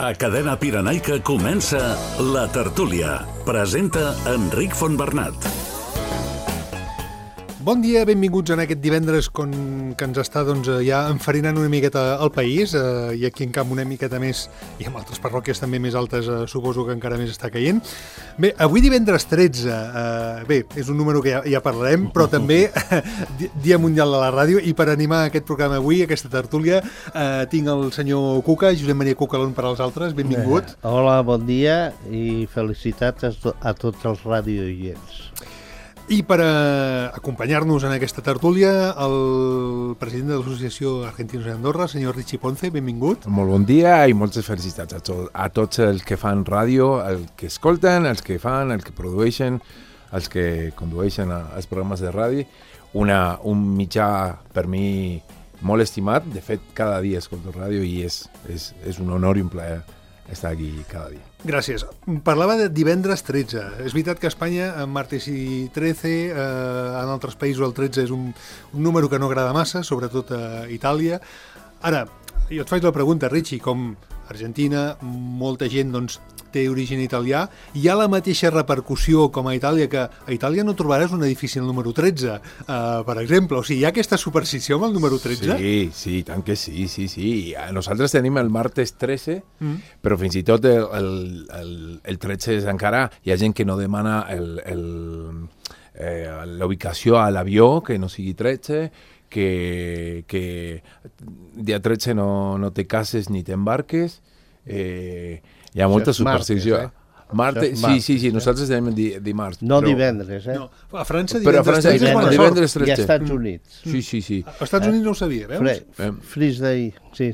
A Cadena Pirenaica comença La Tertúlia. Presenta Enric Fontbernat. Bon dia, benvinguts en aquest divendres que ens està ja enfarinant una miqueta el país, i aquí en Camp una miqueta més, i en altres parròquies també més altes, suposo que encara més està caient. Bé, avui divendres 13, bé, és un número que ja parlarem, però també Dia Mundial de la Ràdio, i per animar aquest programa avui, aquesta tertúlia, tinc el senyor Cuca, Josep Maria Cuca, l'un per als altres, benvingut. Hola, bon dia i felicitats a tots els radiooients. I per acompanyar-nos en aquesta tertúlia, el president de l'Associació Argentinos d'Andorra, senyor Richie Ponce, benvingut. Molt bon dia i moltes felicitats a tots els que fan ràdio, els que escolten, els que fan, els que produeixen, els que condueixen els programes de ràdio. Un mitjà per mi molt estimat. De fet, cada dia escolto ràdio i és un honor i un plaer estar aquí cada dia. Gràcies. Parlava de divendres 13. És veritat que a Espanya, en martes i 13, en altres països el 13 és un número que no agrada massa, sobretot a Itàlia. Ara, jo et faig la pregunta, Richie, com Argentina, molta gent té origen italià, hi ha la mateixa repercussió com a Itàlia, que a Itàlia no trobaràs un edifici al número 13, per exemple. O sigui, hi ha aquesta superstició amb el número 13? Sí, tant que sí. Nosaltres tenim el martes 13, però fins i tot el 13 és encara... Hi ha gent que no demana la ubicació a l'avió, que no sigui 13, que dia 13 no te cases ni t'embarques. Hi ha molta superstició. Martes, sí, nosaltres tenim dimarts. No divendres, No, a França divendres 13 és bona sort. I als Estats Units. Sí. Als Estats Units no ho sabia, veus? Freeze Day, sí.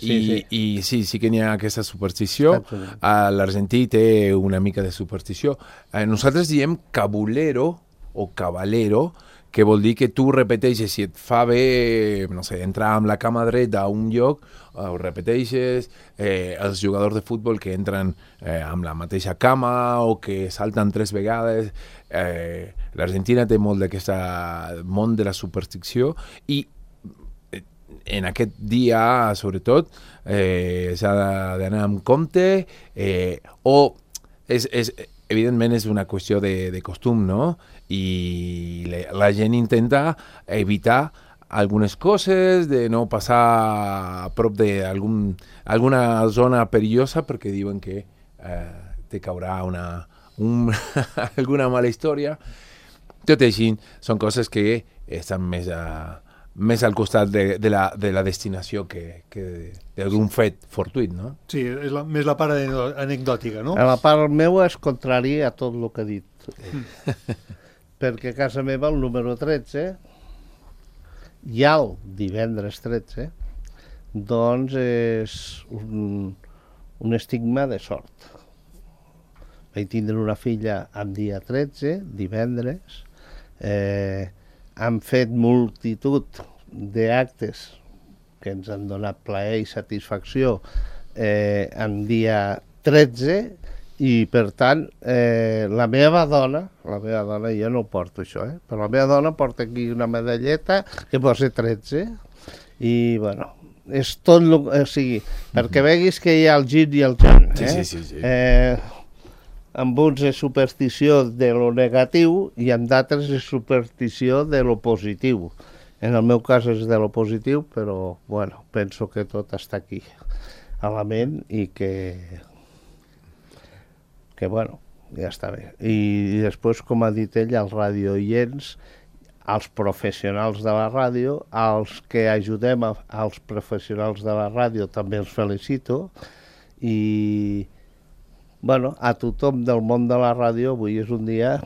I sí que n'hi ha aquesta superstició. L'argentí té una mica de superstició. Nosaltres diem cabulero o cavalero, que vol dir que tu repeteixes, si et fa bé, no sé, entrar amb la cama dreta a un lloc, ho repeteixes, els jugadors de futbol que entren amb la mateixa cama o que salten 3 vegades. L'Argentina té molt d'aquest món de la superstició i en aquest dia, sobretot, s'ha d'anar amb compte evidentment és una qüestió de costum, no? I la gent intenta evitar algunes coses, de no passar a prop d'alguna zona perillosa perquè diuen que te caurà alguna mala història. Tot així, són coses que estan més al costat de la destinació que d'un fet fortuït, no? Sí, és més la part anecdòtica, no? La part meva és contrària a tot el que ha dit. Perquè a casa meva el número 13, ja el divendres 13, doncs és un estigma de sort. Vaig tindre una filla amb dia 13, divendres, han fet multitud d'actes que ens han donat plaer i satisfacció en dia 13 i, per tant, la meva dona, jo no porto això, però la meva dona porta aquí una medalleta que posa 13 i, bueno, és tot o sigui, perquè veguis que hi ha el gin i el jan. Sí. Amb uns és superstició de lo negatiu i amb d'altres és superstició de lo positiu. En el meu cas és de lo positiu, però bueno, penso que tot està aquí a la ment i que bueno, ja està bé. I després, com ha dit ell, els radiooients, els professionals de la ràdio, els que ajudem als professionals de la ràdio també els felicito i bueno, a tothom del món de la ràdio avui és un dia,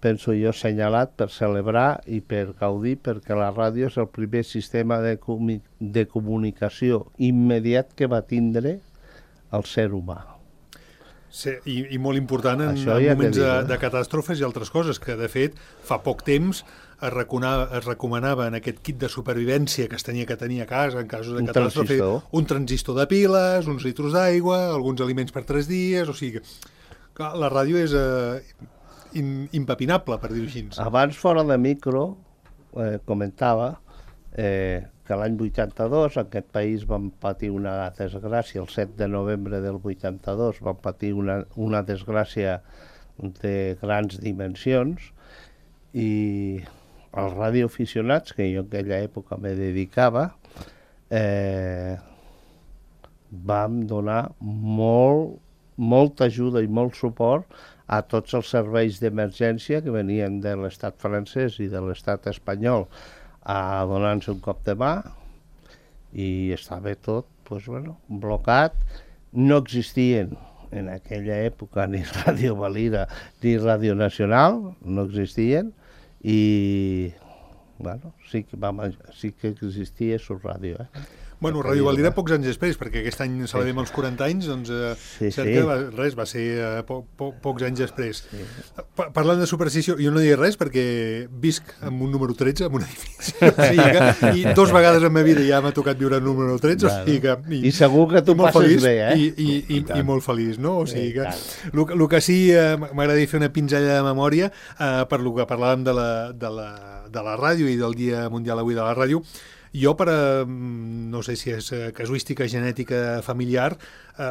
penso jo, assenyalat per celebrar i per gaudir, perquè la ràdio és el primer sistema de comunicació immediat que va tindre el ser humà. Sí, i molt important en moments de catàstrofes i altres coses, que de fet fa poc temps es recomanava en aquest kit de supervivència que es tenia que tenir a casa en casos de catàstrofe, un transistor de piles, uns litros d'aigua, alguns aliments per 3 dies, o sigui que la ràdio és impepinable, per dir-ho així. Abans, fora de micro, comentava que l'any 82 en aquest país vam patir una desgràcia, el 7 de novembre del 82 vam patir una desgràcia de grans dimensions, i els radioaficionats, que jo en aquella època me dedicava, vam donar molta ajuda i molt suport a tots els serveis d'emergència que venien de l'estat francès i de l'estat espanyol a donar-nos un cop de mà, i estava tot blocat. No existien en aquella època ni Ràdio Valira ni Ràdio Nacional, no existien, i sí que existia su ràdio. Bueno, Ràdio Valira pocs anys després, perquè aquest any celebrem els 40 anys, doncs va ser pocs anys després. Parlant de superstició, jo no diré res perquè visc amb un número 13, en un edifici, i 2 vegades en ma vida ja m'ha tocat viure el número 13, i segur que tu passes bé, I molt feliç, no? O sigui que el que sí m'agradaria fer una pinzella de memòria per lo que parlàvem de la ràdio i del Dia Mundial avui de la Ràdio. Jo, no sé si és casuística genètica familiar,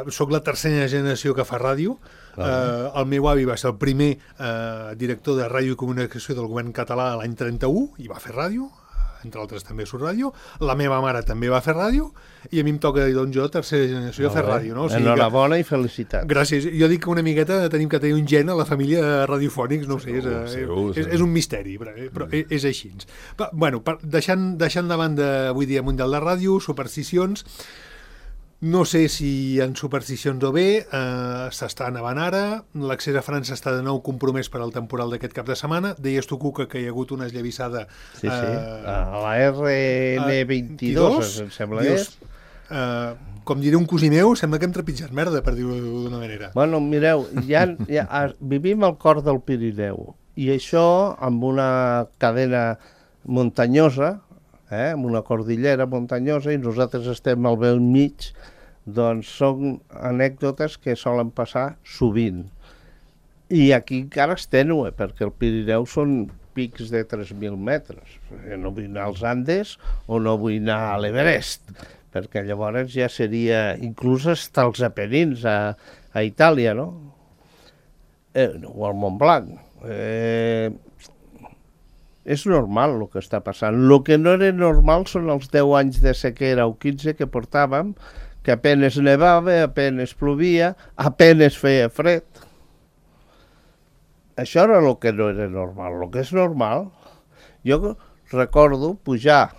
sóc la tercera generació que fa ràdio. El meu avi va ser el primer director de ràdio i comunicació del govern català l'any 31 i va fer ràdio, entre altres també surt ràdio. La meva mare també va fer ràdio i a mi em toca, doncs jo, tercera generació, fer ràdio. No? O sigui enhorabona i felicitats. Gràcies. Jo dic que una miqueta tenim que tenir un gen a la família radiofònics, no ho sé, és un misteri, però és així. Bueno, deixant de banda avui dia Mundial de Ràdio, supersticions, no sé si hi ha supersticions o bé, s'està nevant ara, l'accés a França està de nou compromès per al temporal d'aquest cap de setmana. Deies tu, Cuca, que hi ha hagut una esllavissada... Sí, a la RN22, em sembla que és. Com diré un cosí meu, sembla que hem trepitjat merda, per dir-ho d'una manera. Bueno, mireu, vivim al cor del Pirineu, i això amb una cadena muntanyosa, amb una cordillera muntanyosa, i nosaltres estem al vell mig, doncs són anècdotes que solen passar sovint. I aquí encara és tènue, perquè el Pirineu són pics de 3.000 metres. No vull anar als Andes o no vull anar a l'Everest, perquè llavors ja seria inclús fins als Apenins a Itàlia, no? O al Montblanc. És normal el que està passant. El que no era normal són els 10 anys de sequera o 15 que portàvem, que apenes nevava, apenes plovia, apenes feia fred. Això era el que no era normal. El que és normal, jo recordo pujar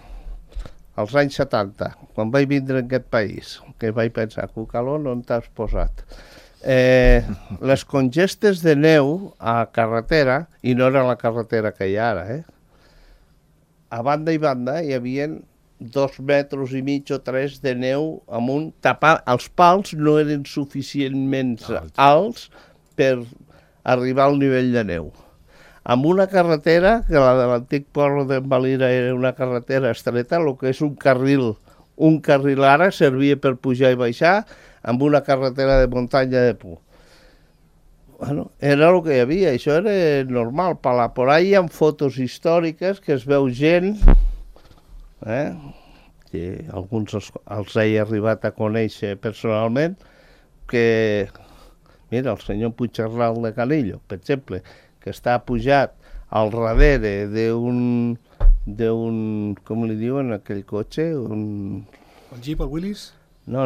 als anys 70, quan vaig vindre en aquest país, que vaig pensar, Cucalón, on t'has posat? Les congestes de neu a carretera, i no era la carretera que hi ha ara, a banda i banda hi havia 2,5 metres o 3 de neu amunt, els pals no eren suficientment alts per arribar al nivell de neu. Amb una carretera, que la de l'antic poble d'en Valira era una carretera estreta, el que és un carril ara servia per pujar i baixar, amb una carretera de muntanya de por. Bueno, era el que hi havia, això era normal. Por ahí hi ha fotos històriques que es veu gent, que alguns els he arribat a conèixer personalment, que, mira, el senyor Puigcerral de Canillo, per exemple, que està pujat al darrere d'un, com li diuen aquell cotxe? El Jeep, el Willys? No,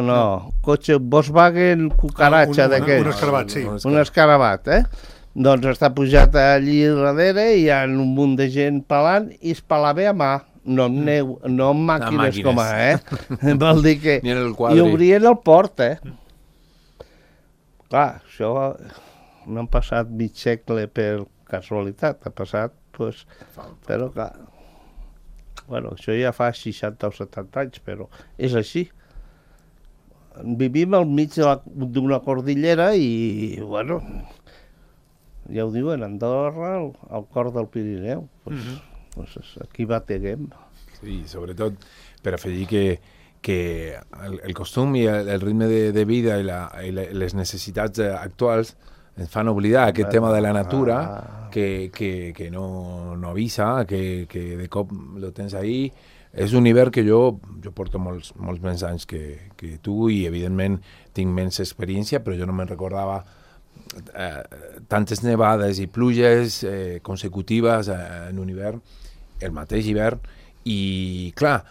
cotxe Volkswagen cucaratxa d'aquell. Un escarabat, sí. Un escarabat, Doncs està pujat allí darrere i hi ha un munt de gent pelant i es pelava a mà, no amb neu, no amb màquines com vol dir que... I obrien el port, Clar, això no han passat mig segle per casualitat, ha passat, doncs... Però, clar... Bueno, això ja fa 60 o 70 anys, però és així. Vivim al mig d'una cordillera i, bueno, ja ho diuen, Andorra, al cor del Pirineu. Pues aquí bateguem. Sí, sobretot per afegir que el costum i el ritme de vida i les necessitats actuals ens fan oblidar aquest tema de la natura que no avisa, que de cop lo tens ahí, és un hivern que jo porto molts més anys que tu i evidentment tinc menys experiència, però jo no me'n recordava tantes nevades i pluges consecutives en un hivern, el mateix hivern, i clar,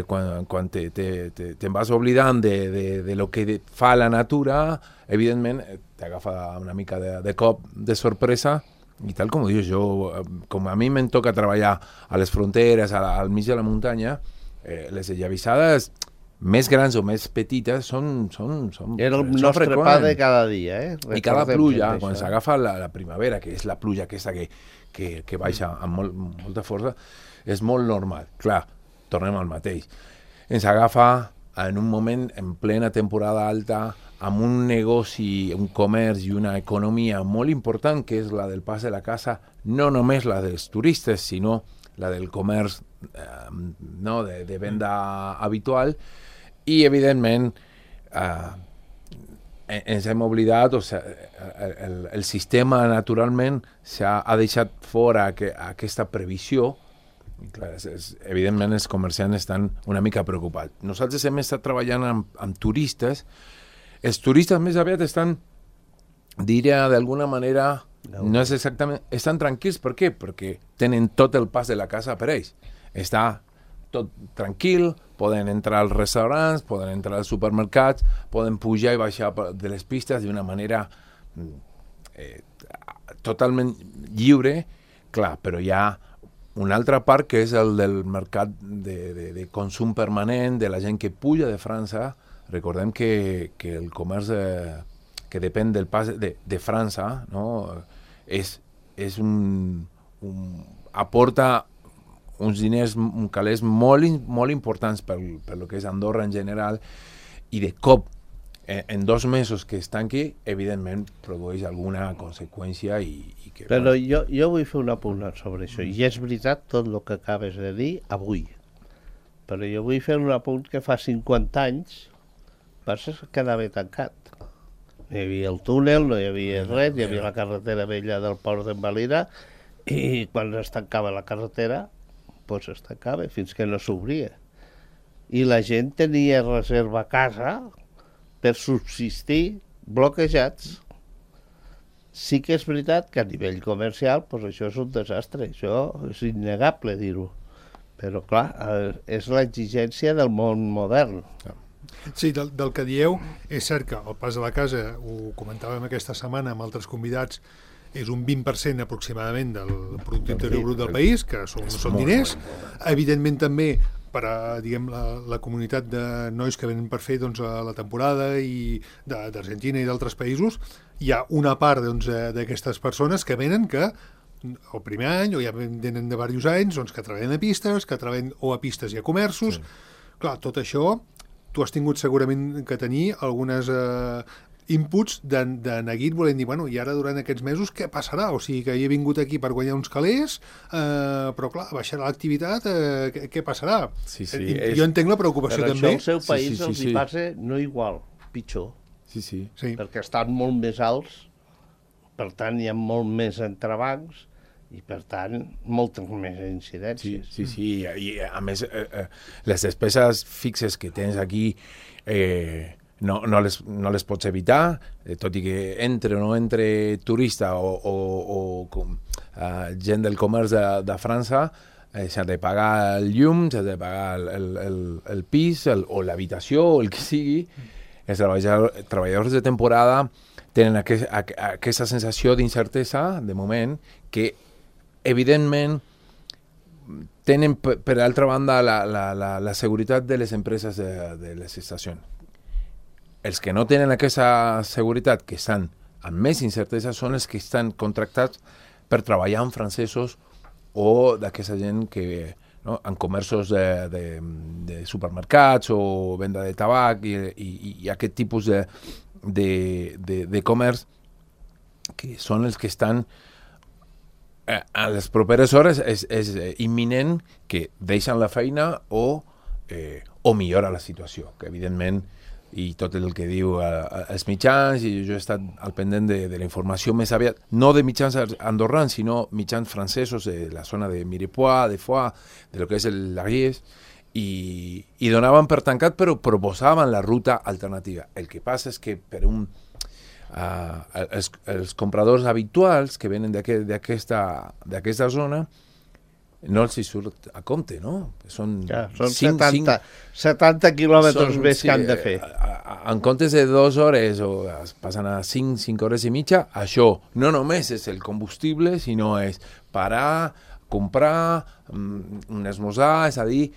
quan te'n vas oblidant de lo que fa la natura, evidentment t'agafa una mica de cop de sorpresa. I tal com ho dius, com a mi me'n toca treballar a les fronteres, al mig de la muntanya, les esllavissades més grans o més petites són Era el nostre pa de cada dia, I cada pluja, quan s'agafa la primavera, que és la pluja aquesta que baixa amb molta força, és molt normal. Clar, tornem al mateix. Ens agafa en un moment, en plena temporada alta, amb un negoci, un comerç i una economia molt important, que és la del pas de la casa, no només la dels turistes, sinó la del comerç de venda habitual, i evidentment ens hem oblidat, el sistema naturalment ha deixat fora aquesta previsió. I clar, evidentment els comerciants estan una mica preocupats. Nosaltres hem estat treballant amb turistes. Els turistes més aviat estan, diria d'alguna manera, no és exactament, estan tranquils. Per què? Perquè tenen tot el pas de la casa per ells. Està tot tranquil, poden entrar als restaurants, poden entrar als supermercats, poden pujar i baixar de les pistes d'una manera totalment lliure. Clar, però hi ha una altra part que és el del mercat de consum permanent, de la gent que puja de França. Recordem que el comerç que depèn del pas de França, no? Aporta uns diners, uns calés molt importants per lo que és Andorra en general, i de cop, en 2 mesos que estan aquí, evidentment produeix alguna conseqüència. Però jo vull fer un apunt sobre això, i és veritat tot el que acabes de dir avui, però jo vull fer un apunt que fa 50 anys Barça quedava tancat. No hi havia el túnel, no hi havia res, hi havia la carretera vella del port d'en Valira, i quan es tancava la carretera, doncs es tancava fins que no s'obria. I la gent tenia reserva a casa per subsistir bloquejats. Sí que és veritat que a nivell comercial doncs això és un desastre, això és innegable dir-ho. Però clar, és l'exigència del món modern. Sí, del que dieu, és cert que el pas de la casa, ho comentàvem aquesta setmana amb altres convidats, és un 20% aproximadament del producte interior brut del país, que són diners. Evidentment també per a la comunitat de nois que venen per fer la temporada i d'Argentina i d'altres països, hi ha una part d'aquestes persones que venen que el primer any, o ja venen de diversos anys, que treballen a pistes, que treballen o a pistes i a comerços. Sí. Clar, tot això tu has tingut segurament que tenir algunes inputs de neguit, volent dir, bueno, i ara durant aquests mesos què passarà? O sigui, que he vingut aquí per guanyar uns calés, però clar, baixarà l'activitat, què passarà? Sí, jo entenc la preocupació però també. Però això al seu país els hi passa no igual, pitjor. Sí. Perquè estan molt més alts, per tant hi ha molt més entrebancs, i per tant moltes més incidències. Sí, i a més les despeses fixes que tens aquí no les pots evitar, tot i que entre o no entre turista o gent del comerç de França, s'ha de pagar el llum, s'ha de pagar el pis o l'habitació o el que sigui. Els treballadors de temporada tenen aquesta sensació d'incertesa, de moment, que evidentment tenen per altra banda la seguretat de les empreses de les estacions. Els que no tenen aquesta seguretat, que estan amb més incertesa, són els que estan contractats per treballar amb francesos o d'aquesta gent que en comerços de supermercats o venda de tabac i aquest tipus de comerç, que són els que estan a les properes hores. És imminent que deixen la feina o millora la situació, que evidentment, i tot el que diu els mitjans, i jo he estat al pendent de la informació més aviat, no de mitjans andorrans, sinó mitjans francesos de la zona de Mirepoix, de Foix, de lo que és l'Ariès, i donaven per tancat, però proposaven la ruta alternativa. El que passa és que per els compradors habituals que venen d'aquesta zona no els hi surt a compte, no? Són 70 quilòmetres més que han de fer. En comptes de 2 hores o es passen a 5 hores i mitja, això no només és el combustible, sinó és parar, comprar, un esmorzar, és a dir,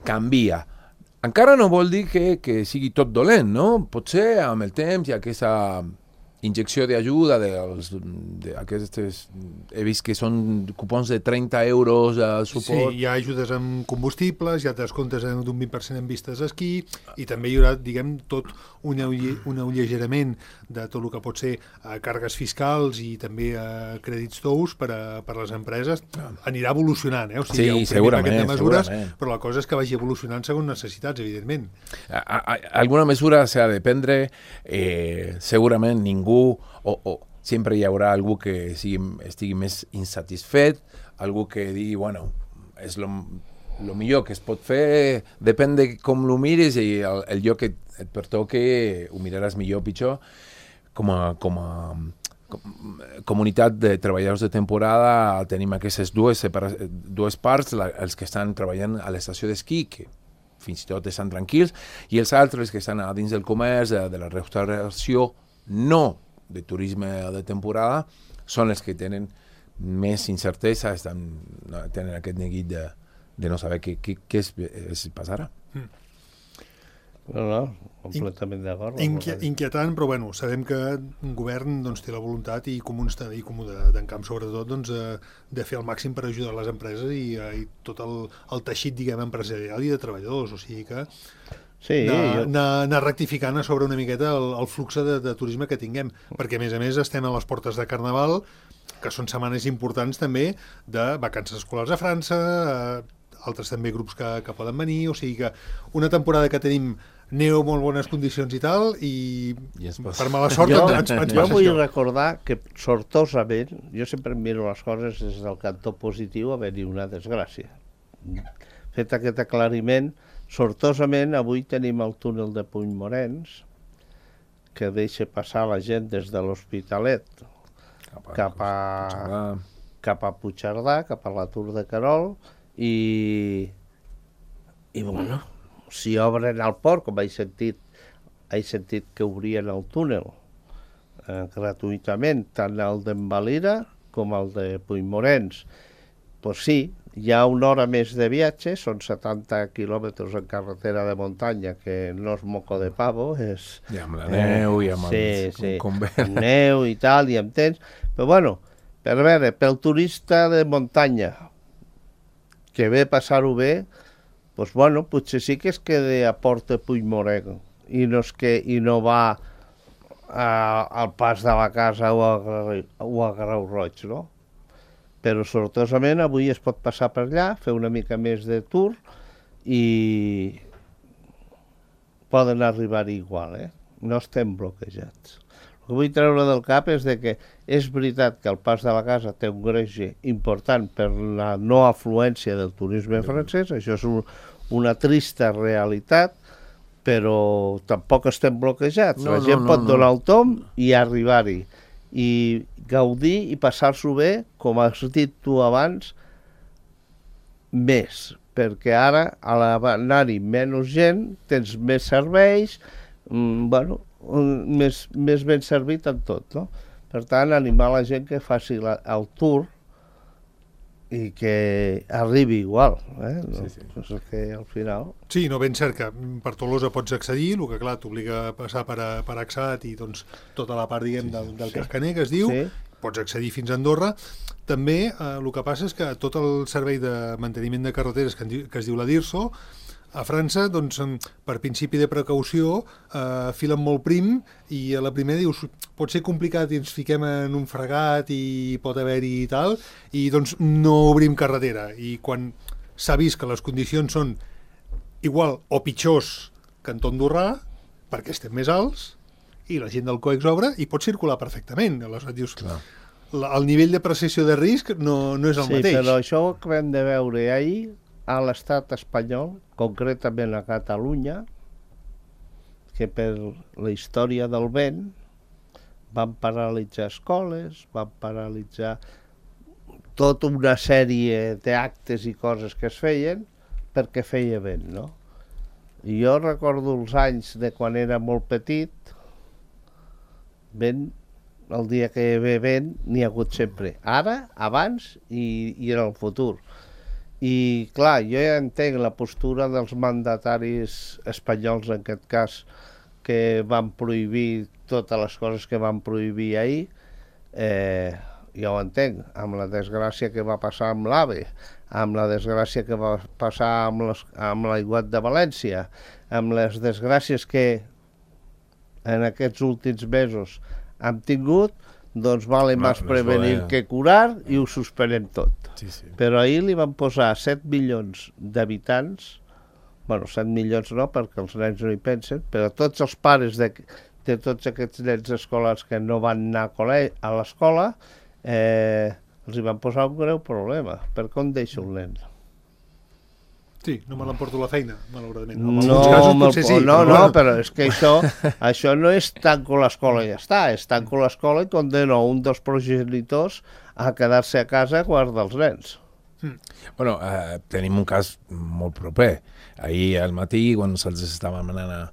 canvia. Encara no vol dir que sigui tot dolent, no? Potser amb el temps hi ha aquesta injecció d'ajuda d'aquestes, he vist que són cupons de 30 euros a suport. Sí, hi ha ajudes amb combustibles, hi ha descomptes d'un 20% en vistes d'esquí, i també hi haurà, diguem, tot un allegerament de tot el que pot ser càrregues fiscals i també crèdits tous per a les empreses. Anirà evolucionant, o sigui, hi ha un primer paquet de mesures, però la cosa és que vagi evolucionant segons necessitats, evidentment. Alguna mesura s'ha de prendre, segurament ningú o sempre hi haurà algú que estigui més insatisfet, algú que digui, bueno, és lo millor que es pot fer, depèn de com lo mires i el lloc que et pertoque ho miraràs millor o pitjor. Com a comunitat de treballadors de temporada tenim aquestes dues parts, els que estan treballant a l'estació d'esquí, que fins i tot estan tranquils, i els altres que estan a dins del comerç, de la restauració, no de turisme de temporada, són els que tenen més incertesa, tenen aquest neguit de no saber què es passarà. No, completament d'acord. Inquietant, però bueno, sabem que un govern té la voluntat i comú d'en camp, sobretot, de fer el màxim per ajudar les empreses i tot el teixit, diguem, empresarial i de treballadors, o sigui que anar rectificant a sobre una miqueta el flux de turisme que tinguem, perquè a més estem a les portes de Carnaval, que són setmanes importants també de vacances escolars a França, altres també grups que poden venir, o sigui que una temporada que tenim neu, molt bones condicions i tal, i per mala sort ens passa jo vull recordar que sortosament, jo sempre miro les coses des del cantó positiu, haver-hi una desgràcia. Fet aquest aclariment, sortosament avui tenim el túnel de Puigmorens que deixa passar la gent des de l'Hospitalet cap a Puigcerdà, cap a la Tour de Querol, i bueno, si obren el port, com he sentit que obrien el túnel gratuïtament, tant el d'Envalira com el de Puigmorens, doncs sí, hi ha una hora més de viatge, són 70 quilòmetres en carretera de muntanya, que no és moco de pavo, és... I amb la neu, i amb amb neu i tal, i amb temps, però bueno, per veure, pel turista de muntanya, que ve passar-ho bé, doncs bueno, potser sí que es queda a Porta Puigmorens i no va al Pas de la Casa o a Grau Roig, no? Però sortosament avui es pot passar per allà, fer una mica més de tour i poden arribar igual, no estem bloquejats. El que vull treure del cap és que és veritat que el Pas de la Casa té un greuge important per la no afluència del turisme francès, això és una trista realitat, però tampoc estem bloquejats. La gent pot donar el tomb i arribar-hi, i gaudir i passar-s'ho bé, com has dit tu abans, més, perquè ara a l'anar-hi menys gent tens més serveis, bueno, més ben servit en tot, no? Per tant, animar la gent que faci el tour i que arribi igual, és que al final... Sí, no, ben cert que per Tolosa pots accedir, el que clar t'obliga a passar per Axat i doncs tota la part, diguem, del Cascaner, que es diu, pots accedir fins a Andorra. També el que passa és que tot el servei de manteniment de carreteres que es diu la DIRSO, a França, doncs, per principi de precaució, filen molt prim i a la primera dius, pot ser complicat i ens fiquem en un fregat i pot haver-hi i tal, i doncs no obrim carretera. I quan s'ha vist que les condicions són igual o pitjors que en Andorrà, perquè estem més alts, i la gent del COEX obre i pot circular perfectament. Aleshores dius, el nivell de percepció de risc no és el mateix. Sí, però això que vam de veure ahir, a l'estat espanyol, concretament a Catalunya, que per la història del vent van paralitzar escoles, van paralitzar tota una sèrie d'actes i coses que es feien perquè feia vent, no? I jo recordo els anys de quan era molt petit, vent, el dia que hi ha vent n'hi ha hagut sempre. Ara, abans i en el futur. I clar, jo ja entenc la postura dels mandataris espanyols, en aquest cas, que van prohibir totes les coses que van prohibir ahir, ja ho entenc, amb la desgràcia que va passar amb l'AVE, amb la desgràcia que va passar amb l'aiguat de València, amb les desgràcies que en aquests últims mesos hem tingut, doncs vale més prevenir que curar i ho suspenem tot. Sí, sí. Però ahir li van posar 7 milions d'habitants, bueno, 7 milions no, perquè els nens no hi pensen, però tots els pares de tots aquests nens escolars que no van anar a l'escola, els hi van posar un greu problema. Per què on deixo el nen? Sí, no me l'emporto a la feina, malauradament. En No, alguns casos potser sí. no, però és que això no és tanco l'escola i ja està, és tanco l'escola i condeno un dels progenitors a quedar-se a casa a guardar els nens. Bueno, tenim un cas molt proper. Ahir al matí, quan nosaltres estàvem anant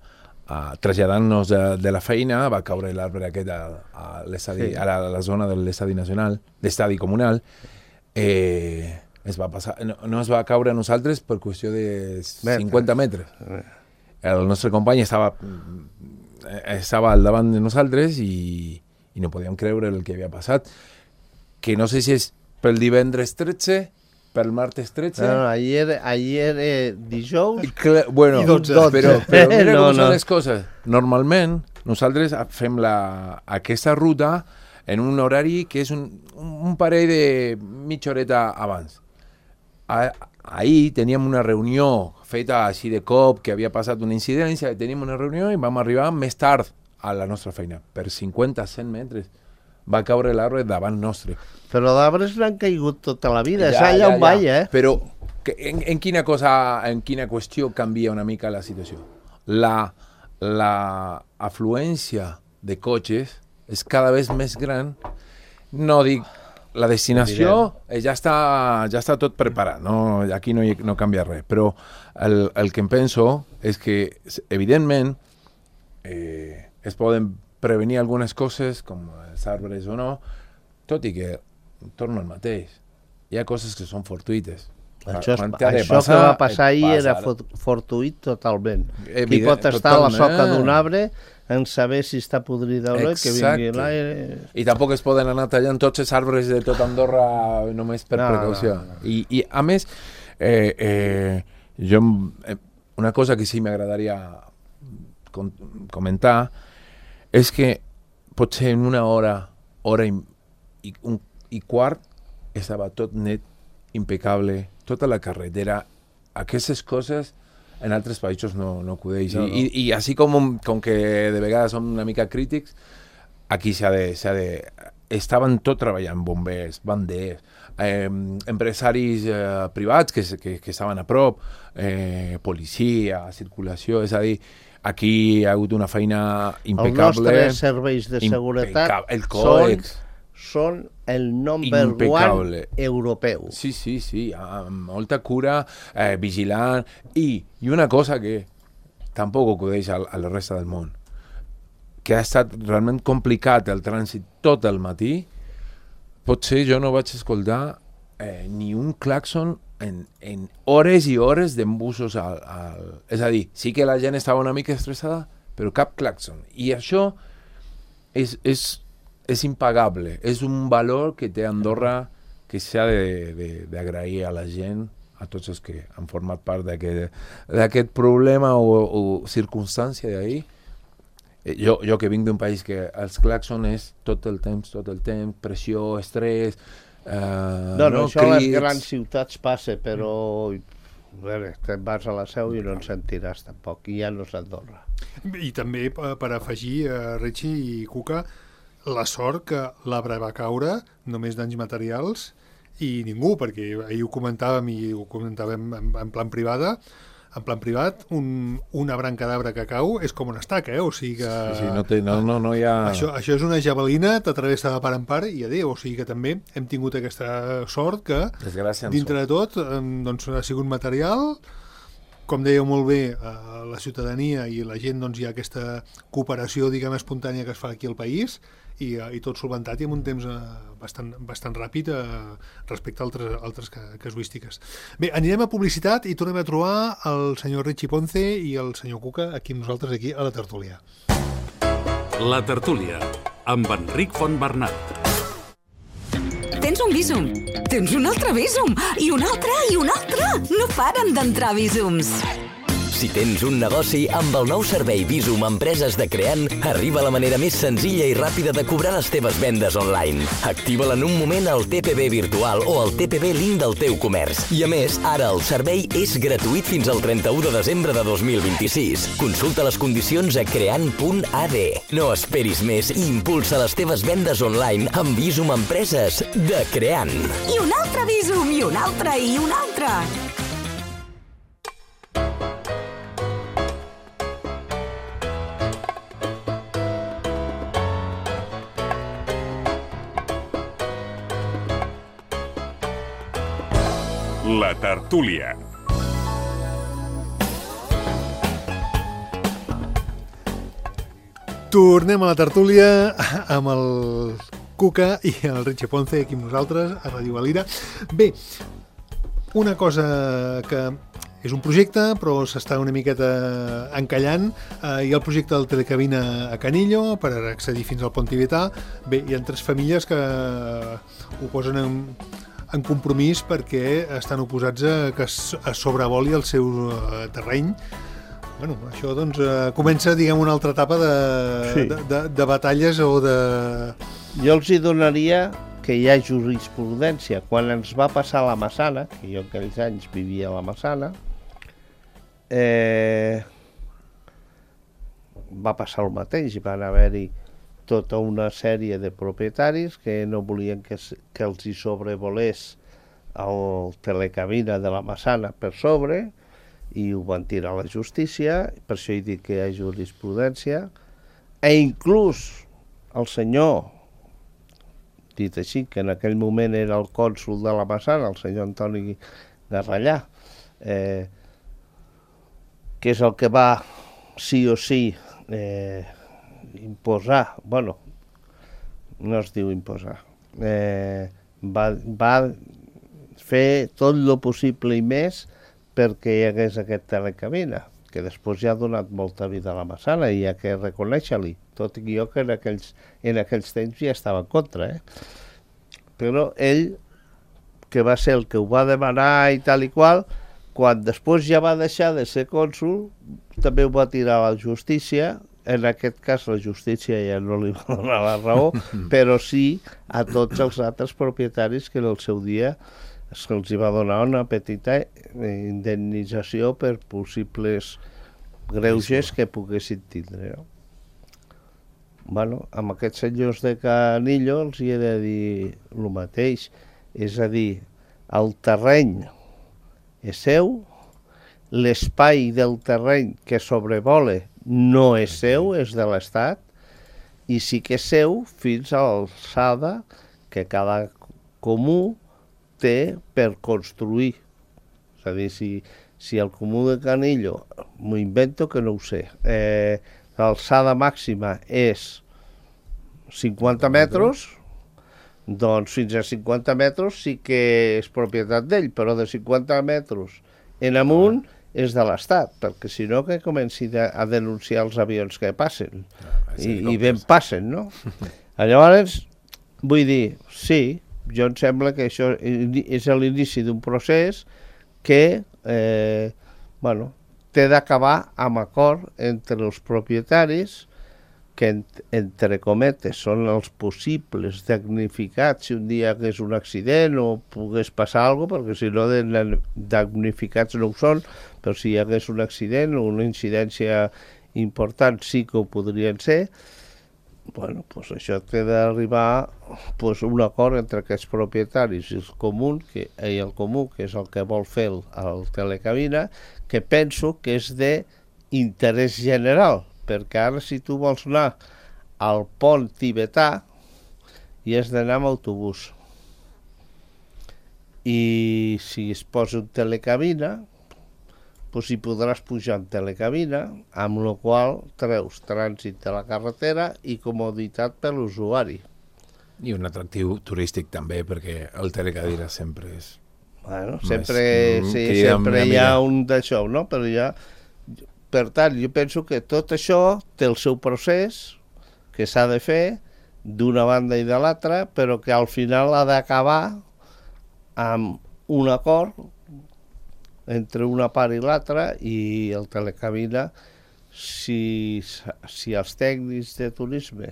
traslladant-nos de la feina, va caure l'arbre aquest a l'estadi, a la zona de l'estadi nacional, l'estadi comunal. Es va passar, no es va caure a nosaltres per qüestió de 50 metres. El nostre company estava al davant de nosaltres i no podíem creure el que havia passat. Que no sé si és pel divendres 13, pel martes 13... No, ahir era dijous bueno, i 12. Però mira com són les coses. Normalment, nosaltres fem aquesta ruta en un horari que és un parell de mitja horeta abans. Ahir teníem una reunió feta així de cop, que havia passat una incidència, teníem una reunió i vam arribar més tard a la nostra feina, per 50-100 metres. Va caure l'arbre davant nostre. Però d'arbres n'han caigut tota la vida, és allà on vaig, Però en quina qüestió canvia una mica la situació? La afluència de cotxes és cada vegada més gran. No dic, la destinació ja està tot preparat, no? Aquí no canvia res, però el que em penso és que, evidentment, es poden prevenir algunes coses, com els arbres o no, tot i que torno al mateix. Hi ha coses que són fortuïtes. Això que va passar ahir era fortuït totalment. Qui pot estar a la soca d'un arbre en saber si està podrida o no, que vingui l'aire... I tampoc es poden anar tallant tots els arbres de tot Andorra només per precaució. I a més, una cosa que sí m'agradaria comentar és que potser en una hora i quart estava tot net, impecable, tota la carretera. Aquestes coses en altres països no acudeix. No. I així com que de vegades som una mica crítics, aquí estaven tot treballant, bombers, banders, empresaris privats que estaven a prop, policia, circulació, és a dir, aquí hi ha hagut una feina impecable. Els nostres serveis de seguretat el còdex són el number one europeu. Sí, amb molta cura, vigilant, i una cosa que tampoc acudeix a la resta del món, que ha estat realment complicat el trànsit tot el matí. Potser jo no vaig escoltar ni un clàxon en hores i hores d'embussos és a dir, sí que la gent estava una mica estressada, però cap clàxon. I això és impagable, és un valor que té Andorra que s'ha d'agrair a la gent, a tots els que han format part d'aquest problema o circumstància d'ahir. Jo que vinc d'un país que els clàxons és tot el temps, pressió, estrès, això a les grans ciutats passa, però te'n vas a la Seu i no en sentiràs tampoc, i ja no és Andorra. I també per afegir, Richie i Cuca, la sort que l'arbre va caure, només danys materials, i ningú, perquè ahir ho comentàvem i ho comentàvem en plan privat, una branca d'arbre que cau és com una estaca, o sigui que... Sí, no hi ha... Això és una javelina, t'atravessa de part en part i adéu, o sigui que també hem tingut aquesta sort que, dintre de tot, doncs, ha sigut material. Com dèieu molt bé, la ciutadania i la gent, doncs, hi ha aquesta cooperació, diguem, espontània que es fa aquí al país i tot solventat i en un temps bastant ràpid respecte a altres casuístiques. Bé, anirem a publicitat i tornem a trobar el senyor Richie Ponce i el senyor Cuca aquí amb nosaltres, aquí a la tertúlia. La tertúlia, amb Enric Fontbernat. Tens un Bizum, tens un altre Bizum, i un altre, i un altre. No paren d'entrar Bizums. Si tens un negoci, amb el nou servei Bizum Empreses de Creant, arriba la manera més senzilla i ràpida de cobrar les teves vendes online. Activa-la en un moment al TPB virtual o al TPB link del teu comerç. I a més, ara el servei és gratuït fins al 31 de desembre de 2026. Consulta les condicions a creant.ad. No esperis més i impulsa les teves vendes online amb Bizum Empreses de Creant. I un altre Bizum, i un altre, i un altre. La tertúlia. Tornem a la tertúlia amb el Cuca i el Richie Ponce aquí amb nosaltres a Ràdio Valira. Bé, una cosa que és un projecte però s'està una miqueta encallant. Hi ha el projecte del Telecabina a Canillo per accedir fins al pont tibetà. Bé, hi ha 3 famílies que ho posen en compromís perquè estan oposats a que es sobrevoli el seu terreny. Bueno, això doncs comença, diguem, una altra etapa de batalles o de... Jo els hi donaria que hi ha jurisprudència. Quan ens va passar la Massana, que jo aquells anys vivia a la Massana, va passar el mateix, van haver-hi tota una sèrie de propietaris que no volien que els hi sobrevolés el Telecabina de la Massana per sobre i ho van tirar a la justícia, per això he dit que hi ha jurisprudència, inclús el senyor, dit així, que en aquell moment era el cònsol de la Massana, el senyor Antoni Garrallà, que és el que va sí o sí imposar, bueno, no es diu imposar, va fer tot el possible i més perquè hi hagués aquest Telecabina, que després ja ha donat molta vida a la Massana i hi ha que reconèixer-li, tot i jo que en aquells temps ja estava en contra, però ell, que va ser el que ho va demanar i tal i qual, quan després ja va deixar de ser cònsol, també ho va tirar a la justícia. En aquest cas la justícia ja no li va donar la raó, però sí a tots els altres propietaris que en el seu dia se'ls va donar una petita indemnització per possibles greuges que poguessin tindre. No? Bueno, amb aquests senyors de Canillo els hi he de dir el mateix, és a dir, el terreny és seu, l'espai del terreny que sobrevola no és seu, és de l'Estat, i sí que és seu fins a l'alçada que cada comú té per construir. És a dir, si el comú de Canillo, m'ho invento que no ho sé, l'alçada màxima és 50 metres, doncs fins a 50 metres sí que és propietat d'ell, però de 50 metres en amunt és de l'Estat, perquè si no que comenci a denunciar els avions que passen, i ben passen, no? Llavors, vull dir, sí, jo em sembla que això és l'inici d'un procés que, té d'acabar amb acord entre els propietaris, que entre cometes són els possibles damnificats si un dia hagués un accident o pogués passar alguna cosa, perquè si no damnificats no ho són, però si hi hagués un accident o una incidència important sí que ho podrien ser. Bueno, pues això té d'arribar pues, un acord entre aquests propietaris i el comú, que és el que vol fer el telecabina, que penso que és d'interès general, perquè ara si tu vols anar al pont tibetà i has d'anar amb autobús. I si es posa un telecabina, doncs hi podràs pujar en telecabina, amb la qual treus trànsit de la carretera i comoditat per l'usuari. I un atractiu turístic també, perquè el telecadira sempre és... Bueno, sempre hi ha un d'això, no? Però ja... Per tant, jo penso que tot això té el seu procés, que s'ha de fer d'una banda i de l'altra, però que al final ha d'acabar amb un acord entre una part i l'altra, i el telecabina, si els tècnics de turisme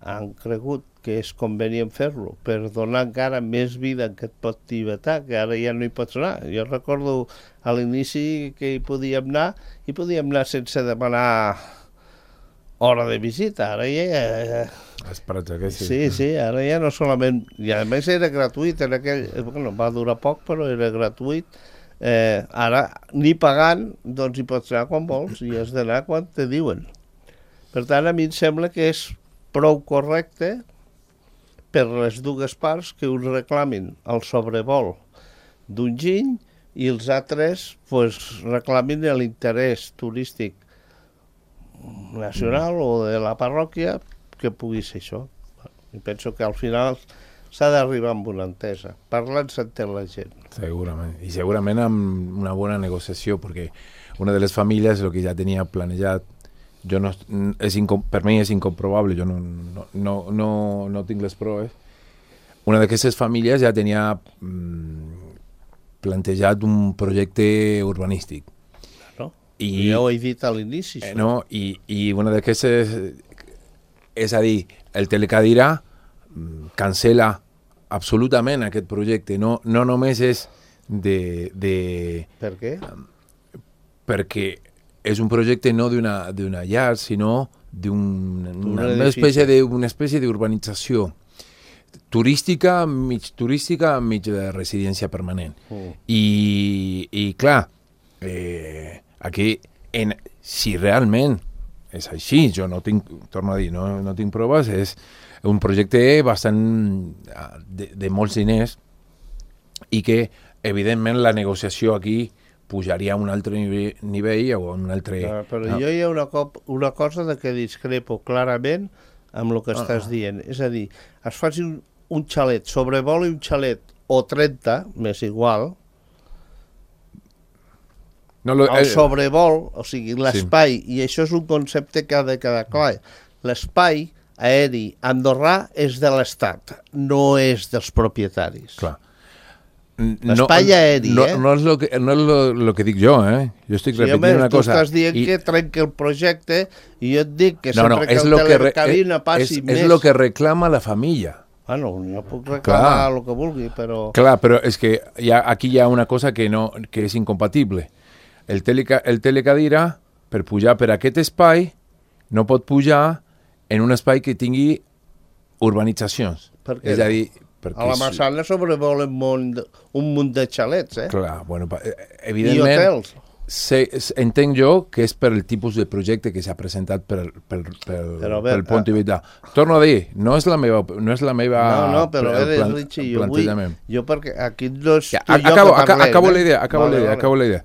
han cregut que és convenient fer-lo per donar encara més vida en aquest pot tibetà, que ara ja no hi pots anar. Jo recordo a l'inici que hi podíem anar sense demanar hora de visita. Ara ja... Sí, ara ja no solament... I a més era gratuït, bueno, va durar poc, però era gratuït. Ara, ni pagant, doncs hi pots anar quan vols i has d'anar quan te diuen. Per tant, a mi em sembla que és prou correcte per les dues parts que uns reclamin el sobrevol d'un giny i els altres pues, reclamin l'interès turístic nacional o de la parròquia que pugui ser això. I penso que al final s'ha d'arribar amb una entesa. Parlant s'entén la gent. Segurament. I segurament amb una bona negociació, perquè una de les famílies, el que ja tenia planejat, per mi és incomprobable, jo no tinc les proves. Una d'aquestes famílies ja tenia plantejat un projecte urbanístic. No? I ja ho he dit a l'inici. No? I una d'aquestes, és a dir, el telecadira cancela absolutament aquest projecte. No només és Per què? Perquè és un projecte no d'una llar, sinó d'una espècie d'urbanització turística, mig de residència permanent. I clar, aquí, si realment és així, jo no tinc, torno a dir, no tinc proves, és un projecte bastant de molts diners i que, evidentment, la negociació aquí pujaria a un altre nivell o a un altre... Però jo hi ha una cosa de que discrepo clarament amb el que estàs dient. És a dir, es faci un xalet, sobrevoli un xalet o 30, m'és igual, el sobrevol, o sigui, l'espai, i això és un concepte que ha de quedar clar, l'espai aeri andorrà és de l'Estat, no és dels propietaris. Clar. L'espai aeri, no és lo que dic jo, Jo estic repetint una cosa. Tu estàs dient que trenca el projecte i jo et dic que sempre que el telecabina passi més... És el que reclama la família. Bueno, jo puc reclamar el que vulgui, però... Clar, però és que aquí hi ha una cosa que és incompatible. El telecadira, per pujar per aquest espai, no pot pujar en un espai que tingui urbanitzacions. Per què? És a dir... A la Massana sobrevolen un munt de xalets, Clar, bueno, evidentment... I hotels. Entenc jo que és per el tipus de projecte que s'ha presentat pel Pont Tibetà. Torno a dir, no és la meva però Richie, jo perquè aquí no és acabo la idea.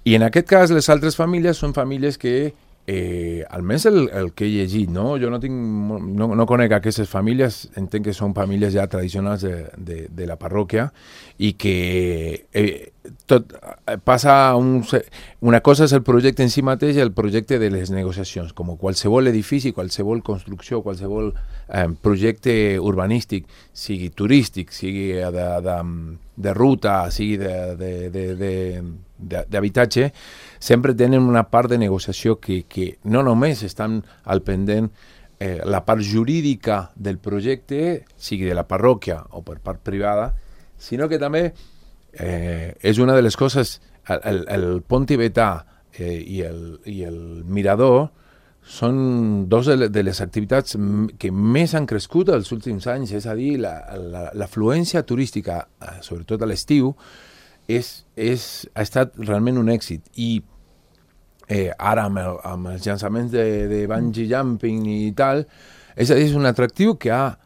I en aquest cas les altres famílies són famílies que almenys el que he llegit, no? Jo no conec aquestes famílies, entenc que són famílies ja tradicionals de la parròquia i que tot passa una cosa és el projecte en si mateix i el projecte de les negociacions, com qualsevol edifici, qualsevol construcció, qualsevol projecte urbanístic, sigui turístic, sigui de ruta, sigui d'habitatge, sempre tenen una part de negociació que no només estan al pendent la part jurídica del projecte, sigui de la parròquia o per part privada, sinó que també és una de les coses, el pont tibetà i el mirador són dos de les activitats que més han crescut els últims anys, és a dir, l'afluència turística, sobretot a l'estiu, ha estat realment un èxit. I ara amb els llançaments de bungee jumping i tal, és a dir, és un atractiu que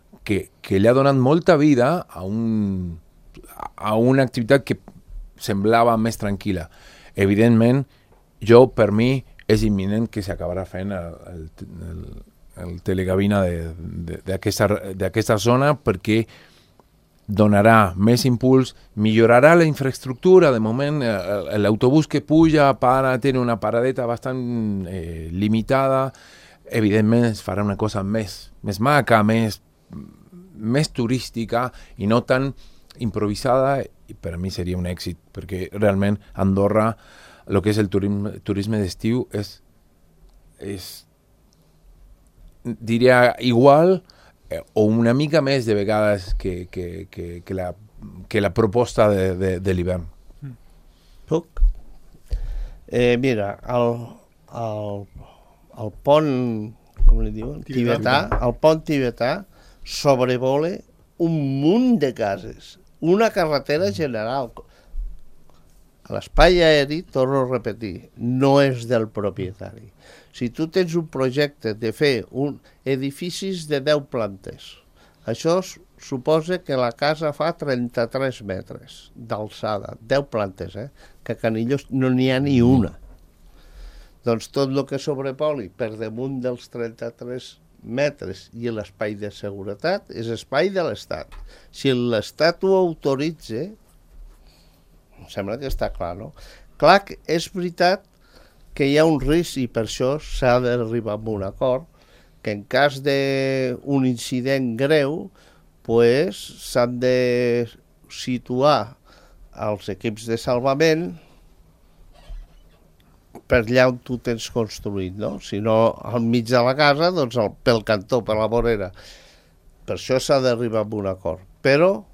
li ha donat molta vida a una activitat que semblava més tranquil·la. Evidentment, per mi, és imminent que s'acabarà fent el telecabina d'aquesta zona perquè donarà més impuls, millorarà la infraestructura. De moment, l'autobús que puja té una paradeta bastant limitada. Evidentment, es farà una cosa més maca, més turística i no tan improvisada, i per a mi seria un èxit, perquè realment Andorra, el que és el turisme d'estiu, és diria igual o una mica més de vegades que la proposta de l'hivern. Puc? Mira, el pont, com li diuen? Tibetà, el pont tibetà sobrevola un munt de cases, una carretera general. L'espai aeri, torno a repetir, no és del propietari. Si tu tens un projecte de fer edificis de 10 plantes, això suposa que la casa fa 33 metres d'alçada, 10 plantes, que a Canillos no n'hi ha ni una. Doncs tot el que sobrepoli per damunt dels 33 metres i l'espai de seguretat és espai de l'Estat. Si l'Estat ho autoritza, em sembla que està clar, no? Clar que és veritat que hi ha un risc i per això s'ha d'arribar a un acord que en cas d'un incident greu s'han de situar els equips de salvament per allà on tu tens construït, no? Si no, al mig de la casa, doncs pel cantó, per la vorera. Per això s'ha d'arribar a un acord. Però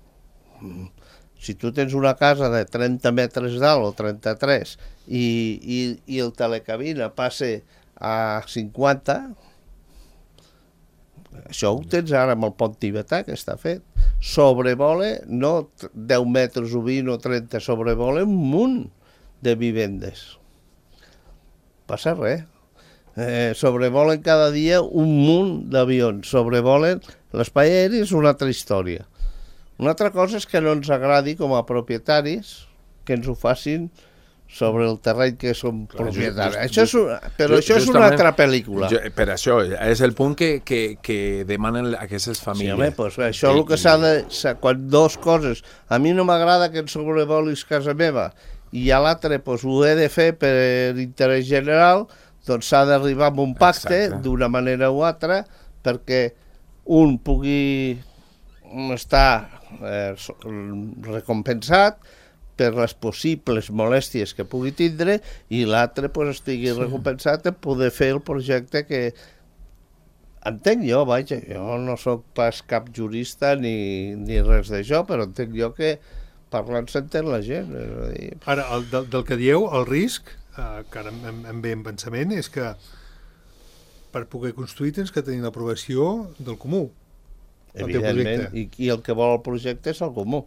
si tu tens una casa de 30 metres d'alt o 33 i el telecabina passa a 50, això ho tens ara amb el pont tibetà, que està fet. Sobrevola, no 10 metres o 20 o 30, sobrevola un munt de vivendes. Passa res. Sobrevolen cada dia un munt d'avions. Sobrevolen l'espai aeri, és una altra història. Una altra cosa és que no ens agradi com a propietaris que ens ho facin sobre el terreny que som propietaris. Però això és una altra pel·lícula. Per això, és el punt que demanen aquestes famílies. Sí, home, doncs això és el que s'ha de... Quan dues coses... A mi no m'agrada que em sobrevolis casa meva i a l'altre ho he de fer per interès general, doncs s'ha d'arribar a un pacte d'una manera o altra perquè un pugui estar recompensat per les possibles molèsties que pugui tindre i l'altre estigui recompensat en poder fer el projecte que entenc jo, vaja, jo no sóc pas cap jurista ni res d'això, però entenc jo que parlant s'entén la gent. Ara, del que dieu, el risc, que ara em ve en pensament, és que per poder construir tens que tenir l'aprovació del comú. Evidentment, i el que vol el projecte és el comú.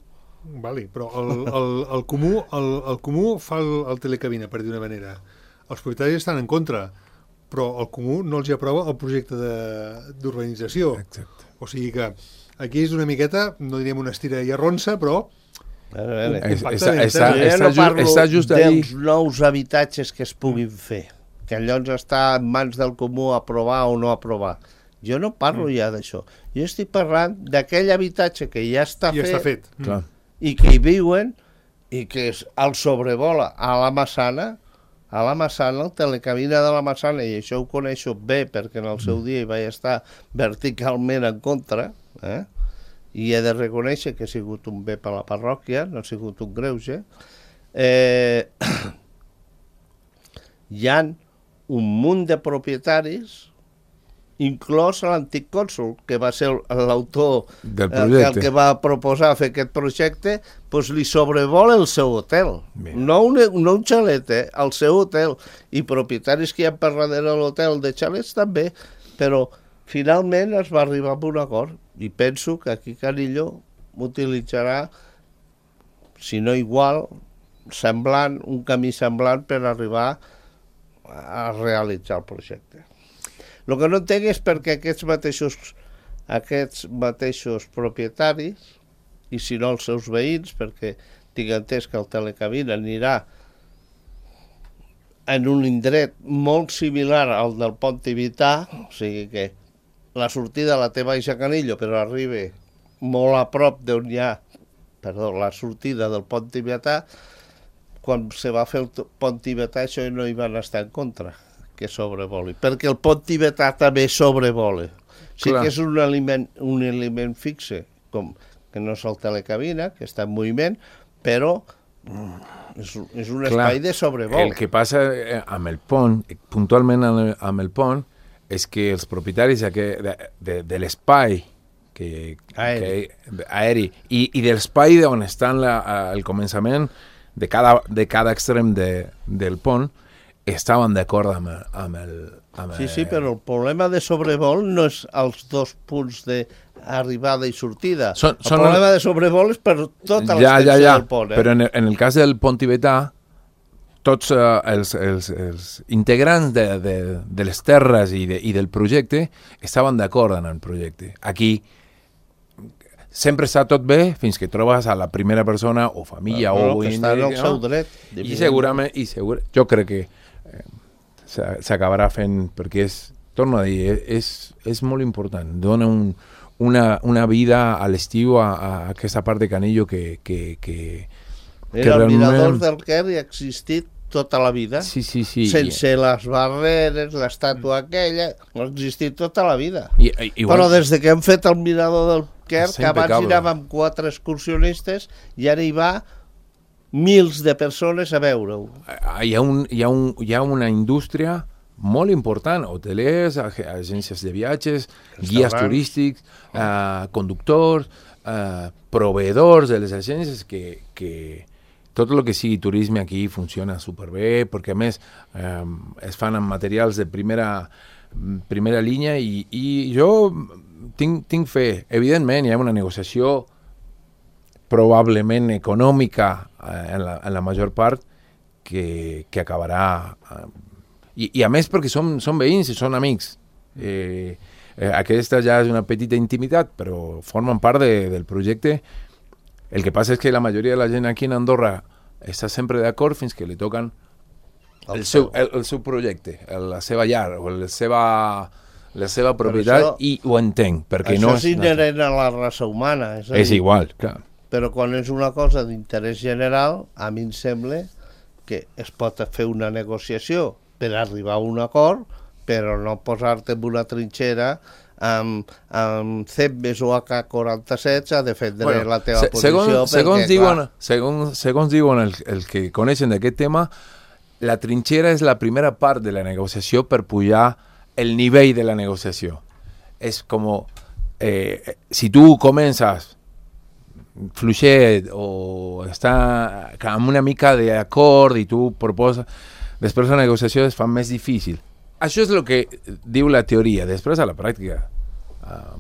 Vale, però el comú fa el telecabina, per dir una manera. Els propietaris estan en contra, però el comú no els hi aprova el projecte d'urbanització. Exacte. O sigui que aquí és una miqueta, no diríem una estira i arronsa, però... Està just dels nous habitatges que es puguin fer, que llavors està en mans del comú aprovar o no aprovar. Jo no parlo ja d'això. Jo estic parlant d'aquell habitatge que ja està fet. I que hi viuen i que el sobrevola a la Massana, el telecabina de la Massana, i això ho coneixo bé perquè en el seu dia hi vaig estar verticalment en contra, i he de reconèixer que ha sigut un bé per la parròquia, no ha sigut un greuge. Hi ha un munt de propietaris inclòs l'antic cònsol, que va ser l'autor del projecte, el que va proposar fer aquest projecte, doncs li sobrevola el seu hotel. No un xalet, el seu hotel. I propietaris que hi ha per darrere l'hotel de xalets també, però finalment es va arribar a un acord i penso que aquí Canillo utilitzarà, si no igual, semblant, un camí semblant per arribar a realitzar el projecte. El que no entenc és perquè aquests mateixos propietaris, i si no els seus veïns, perquè tinc entès que el Telecabina anirà en un indret molt similar al del Pont Tibetà, o sigui que la sortida la té baix a Canillo, però arriba molt a prop d'on hi ha, la sortida del Pont Tibetà. Quan se va fer el Pont Tibetà això no hi van estar en contra, que sobrevoli, perquè el Pont Tibetà també sobrevola. Sí que és un element fixe, com que no és el Telecabina, que està en moviment, però és un espai de sobrevol. El que passa amb el pont, puntualment amb el pont, és que els propietaris de l'espai aeri i de l'espai on està el començament de cada extrem del pont, estaven d'acord amb el... Sí, però el problema de sobrevol no és els dos punts d'arribada i sortida. El problema de sobrevol és per tota l'extensió del pont. Però en el cas del pont tibetà, tots els integrants de les terres i del projecte estaven d'acord en el projecte. Aquí sempre està tot bé fins que trobes a la primera persona o família o que està en el seu dret. I segurament, jo crec que s'acabarà fent, perquè torno a dir, és molt important. Dona una vida a l'estiu a aquesta part de Canillo que el mirador del Quer hi ha existit tota la vida. Sí. Sense les barreres, l'estàtua aquella, ha existit tota la vida. Però des de que hem fet el mirador del Quer, que abans hi anàvem 4 excursionistes, i ara hi va mils de persones a veure-ho. Hi ha una indústria molt important, hotelers, agències de viatges, guies turístics, conductors, proveedors de les agències, que tot el que sigui turisme aquí funciona superbé, perquè a més es fan amb materials de primera línia i jo tinc fe. Evidentment hi ha una negociació probablement econòmica en la major part que acabarà i a més perquè són veïns i són amics. Aquesta ja és una petita intimitat, però formen part del projecte. El que passa és que la majoria de la gent aquí en Andorra està sempre d'acord fins que li toquen el seu projecte, la seva llar o la seva propietat, i ho entenc, perquè això no és inherent a la raça humana. És igual, clar. Però quan és una cosa d'interès general, a mi em sembla que es pot fer una negociació per arribar a un acord, però no posar-te en una trinxera amb CEPMES o AK-47 a defendre la teva posició. Segons diuen els que coneixen d'aquest tema, la trinxera és la primera part de la negociació per pujar el nivell de la negociació. És com si tu comences fluixet o està amb una mica d'acord i tu proposes, després la negociació es fa més difícil. Això és el que diu la teoria. Després a la pràctica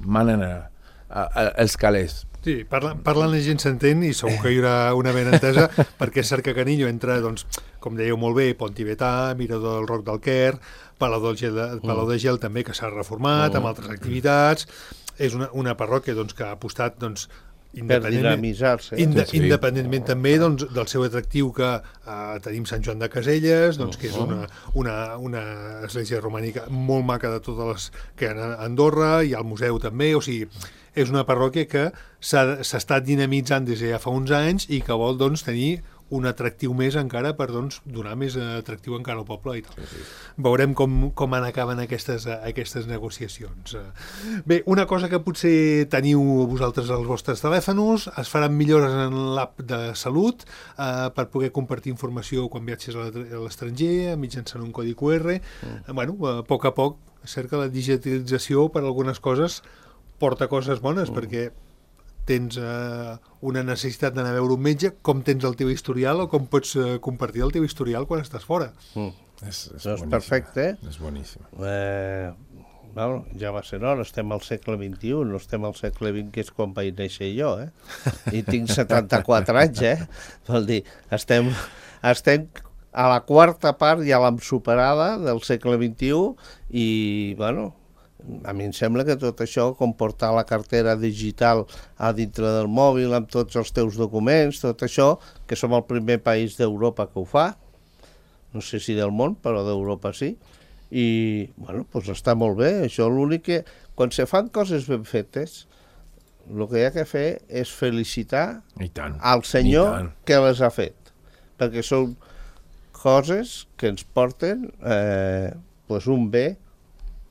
manen els calés. Sí, parlant la gent s'entén i segur que hi haurà una ben entesa, perquè és cert que Canillo entra, doncs, com dèieu molt bé, Pont Tibetà, Mirador del Roc del Quer, Palau de Gel també, que s'ha reformat, amb altres activitats. És una parròquia doncs, que ha apostat doncs, independentment també doncs, del seu atractiu, que tenim Sant Joan de Caselles, doncs, que és una església romànica molt maca de totes les que hi ha a Andorra, i al museu també. O sigui, és una parròquia que s'ha estat dinamitzant des de ja fa uns anys i que vol doncs, tenir un atractiu més encara per doncs, donar més atractiu encara al poble i tal. Veurem com acaben aquestes negociacions. Bé, una cosa que potser teniu vosaltres als vostres telèfons, es faran millores en l'app de salut per poder compartir informació quan viatges a l'estranger mitjançant un codi QR. Bueno, a poc és cert que la digitalització per algunes coses porta coses bones, perquè tens una necessitat d'anar a veure un metge, com tens el teu historial o com pots compartir el teu historial quan estàs fora. És perfecte. És boníssim. Bueno, ja va ser hora, estem al segle XXI, no estem al segle XX, que és quan vaig néixer jo, I tinc 74 anys, Vol dir, estem a la quarta part, ja l'hem superada, del segle XXI, i, bueno, a mi em sembla que tot això, com portar la cartera digital a dintre del mòbil amb tots els teus documents, tot això, que som el primer país d'Europa que ho fa, no sé si del món, però d'Europa sí, i, bueno, doncs està molt bé. Això l'únic que, quan se fan coses ben fetes, el que hi ha que fer és felicitar al senyor que les ha fet, perquè són coses que ens porten un bé,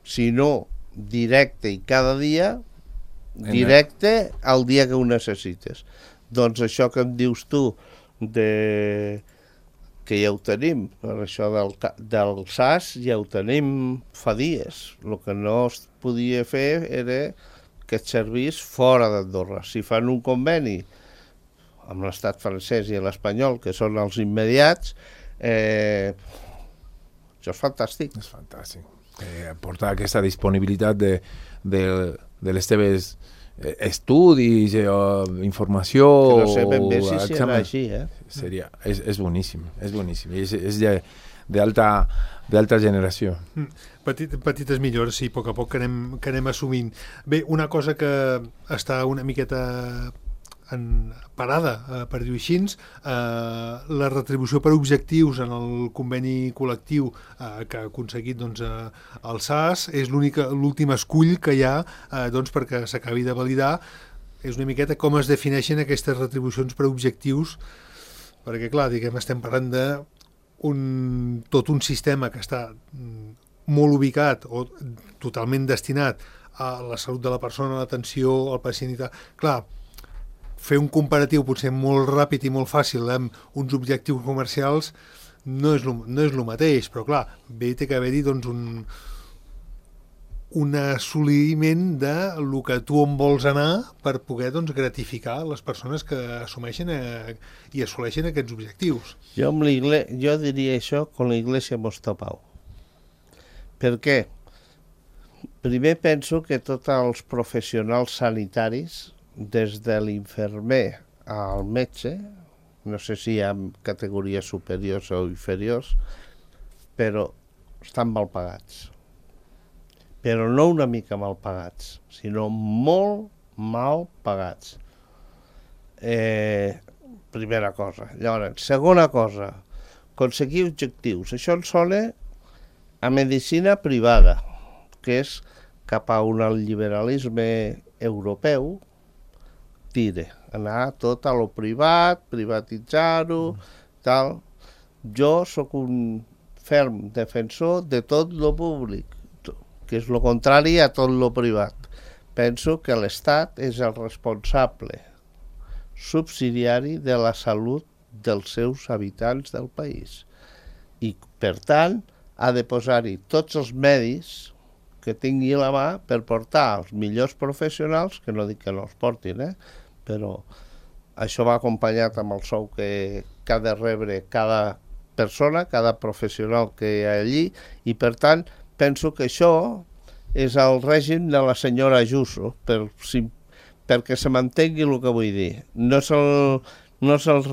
si no directe i cada dia, directe al dia que ho necessites. Doncs això que em dius tu, que ja ho tenim, per això del SAS ja ho tenim fa dies. El que no es podia fer era que et servís fora d'Andorra. Si fan un conveni amb l'estat francès i l'espanyol, que són els immediats, això és fantàstic. És fantàstic. Portar aquesta disponibilitat de les teves estudis, informació... Que no sé ben bé si serà així, És boníssim, és boníssim. És d'alta generació. Petites millores, sí, a poc que anem assumint. Bé, una cosa que està una miqueta parada, per dir-ho així, la retribució per objectius en el conveni col·lectiu que ha aconseguit el SAS és l'últim escull que hi ha perquè s'acabi de validar. És una miqueta com es defineixen aquestes retribucions per objectius, perquè clar, estem parlant de tot un sistema que està molt ubicat o totalment destinat a la salut de la persona, a l'atenció al pacient i tal. Clar, fer un comparatiu potser molt ràpid i molt fàcil amb uns objectius comercials no és el mateix, però clar, bé té que haver-hi un assoliment de lo que tu on vols anar per poder gratificar les persones que assumeixen i assoleixen aquests objectius. Jo diria això con la Iglesia hemos topado. Per què? Primer penso que tots els professionals sanitaris, des de l'infermer al metge, no sé si hi ha categories superiors o inferiors, però estan mal pagats. Però no una mica mal pagats, sinó molt mal pagats. Primera cosa. Llavors, segona cosa, aconseguir objectius. Això ens sona a medicina privada, que és cap a un liberalisme europeu, anar tot a lo privat, privatitzar-ho, tal. Jo sóc un ferm defensor de tot lo públic, que és lo contrari a tot lo privat. Penso que l'Estat és el responsable subsidiari de la salut dels seus habitants del país. I, per tant, ha de posar-hi tots els medis que tingui a la mà per portar els millors professionals, que no dic que no els portin, però això va acompanyat amb el sou que ha de rebre cada persona, cada professional que hi ha allí, i per tant penso que això és el règim de la senyora Ayuso, perquè se mantengui el que vull dir. No és el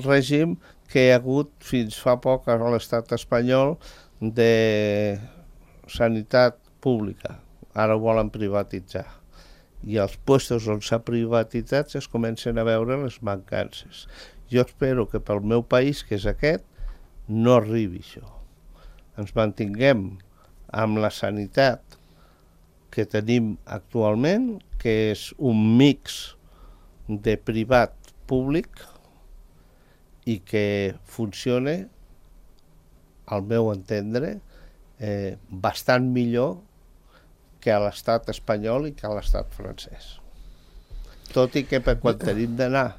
règim que hi ha hagut fins fa poc a l'estat espanyol de sanitat pública. Ara ho volen privatitzar. I als puestos on s'ha privatitzat es comencen a veure les mancances. Jo espero que pel meu país, que és aquest, no arribi això. Ens mantinguem amb la sanitat que tenim actualment, que és un mix de privat-públic, i que funcione, al meu entendre, bastant millor que a l'estat espanyol i que a l'estat francès. Tot i que quan tenim d'anar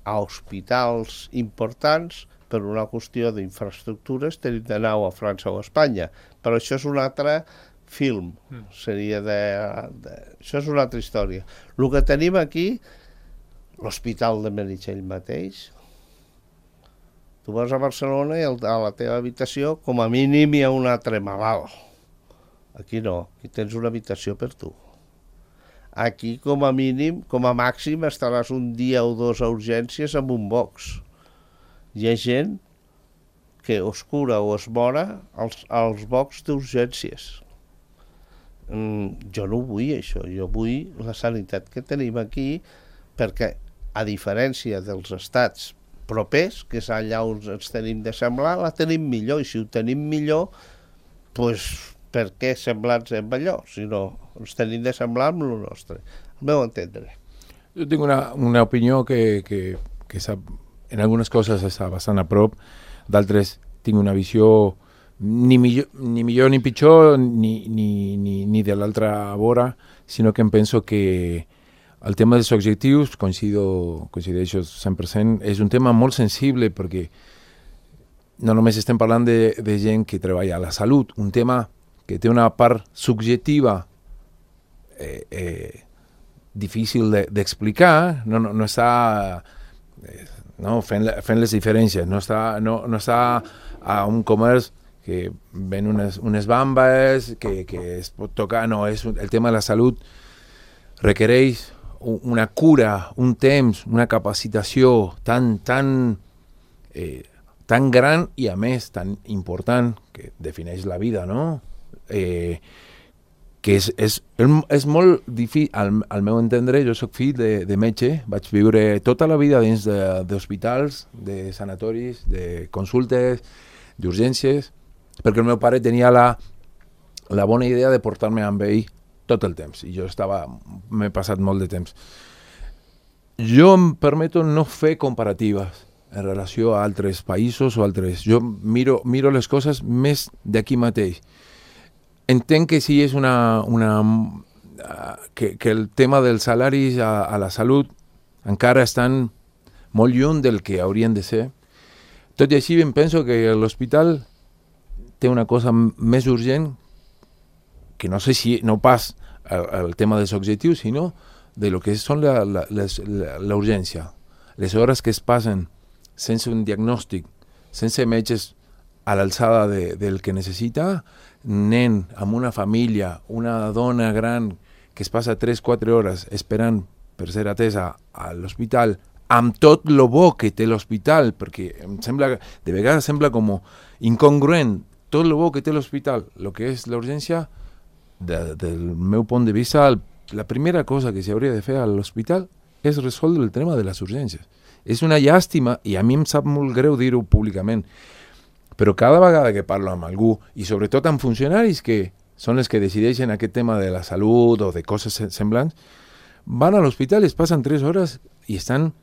a hospitals importants, per una qüestió d'infraestructures, tenim d'anar a França o a Espanya. Però això és un altre film, això és una altra història. El que tenim aquí, l'Hospital de Meritxell mateix, tu vas a Barcelona i a la teva habitació com a mínim hi ha un altre malalt. Aquí no, aquí tens una habitació per tu. Aquí com a mínim, com a màxim, estaràs un dia o dos a urgències amb un box. Hi ha gent que es cura o es mora als box d'urgències. Jo no ho vull, això. Jo vull la sanitat que tenim aquí, perquè, a diferència dels estats propers, que és allà on ens tenim de semblar, la tenim millor, i si ho tenim millor, doncs per què semblar-nos amb allò, si no ens tenim de semblar amb el nostre, al meu entendre. Jo tinc una opinió que en algunes coses està bastant a prop, d'altres tinc una visió ni millor ni pitjor ni de l'altra vora, sinó que em penso que el tema dels objectius, coincideixo 100%, és un tema molt sensible perquè no només estem parlant de gent que treballa a la salut, un tema que té una part subjectiva difícil d'explicar, no està fent les diferències, no està a un comerç que ven unes bambes, que es pot tocar, no, el tema de la salut requereix una cura, un temps, una capacitació tan gran i a més tan important que defineix la vida, no? Que és molt difícil, al meu entendre. Jo soc fill de metge, vaig viure tota la vida dins d'hospitals, de sanatoris, de consultes, d'urgències, perquè el meu pare tenia la bona idea de portar-me amb ell tot el temps, i jo m'he passat molt de temps. Jo em permeto no fer comparatives en relació a altres països o altres. Jo miro les coses més d'aquí mateix. Entenc que sí és que el tema dels salaris a la salut encara estan molt lluny del que haurien de ser. Tot i així em penso que l'hospital té una cosa més urgent, que no sé si no pas el tema dels objectius, sinó de lo que són la urgència. Les hores que es passen sense un diagnòstic, sense metges a l'alçada del que necessita, nen amb una família, una dona gran que es passa 3-4 hores esperant per ser atesa a l'hospital, amb tot lo bo que té l'hospital, perquè de vegades sembla com incongruent tot lo bo que té l'hospital, el que és l'urgència. Del meu punt de vista, la primera cosa que s'hauria de fer a l'hospital és resoldre el tema de les urgències. És una llàstima, i a mi em sap molt greu dir-ho públicament, però cada vegada que parlo amb algú, i sobretot amb funcionaris que són els que decideixen aquest tema de la salut o de coses semblants, van a l'hospital, es passen 3 hores i estan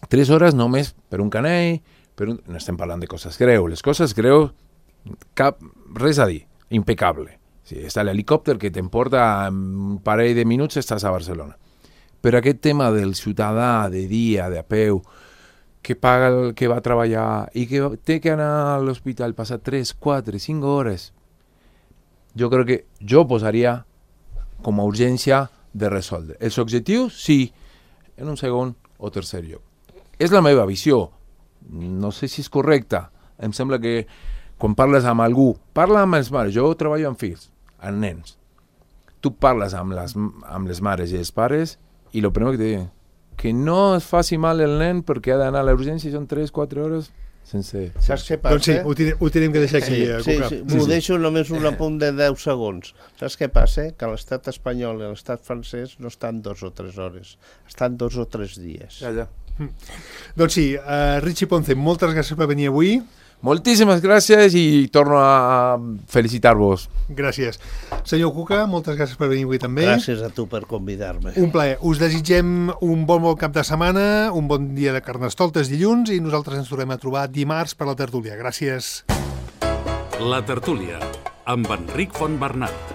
3 hores només per un canell, no estem parlant de coses greus. Les coses greus, res a dir, impecable. Sí, està l'helicòpter que t'emporta en un parell de minuts, estàs a Barcelona. Però aquest tema del ciutadà de dia, de a peu, que paga el que va a treballar i que té que anar a l'hospital, passar 3, 4, 5 hores, jo crec que jo posaria com a urgència de resoldre. Els objectius, sí, en un segon o tercer lloc. És la meva visió. No sé si és correcta. Em sembla que quan parles amb algú, parla amb els mares. Jo treballo amb fills, amb nens. Tu parles amb les mares i els pares i el primer que te diuen que no es faci mal el nen perquè ha d'anar a l'urgència i són 3-4 hores sense... Saps què passa? Doncs sí, ho tenim que deixar aquí. Sí. Ho deixo només un apunt de 10 segons. Saps què passa? Que l'estat espanyol i l'estat francès no estan 2 o 3 hores, estan 2 o 3 dies. Ja. Doncs sí, Richie Ponce, moltes gràcies per venir avui. Moltíssimes gràcies i torno a felicitar-vos. Gràcies. Senyor Cuca, moltes gràcies per venir avui també. Gràcies a tu per convidar-me. Un plaer. Us desitgem un bon cap de setmana, un bon dia de Carnestoltes dilluns i nosaltres ens tornem a trobar dimarts per la tertúlia. Gràcies. La tertúlia, amb Enric Fontbernat.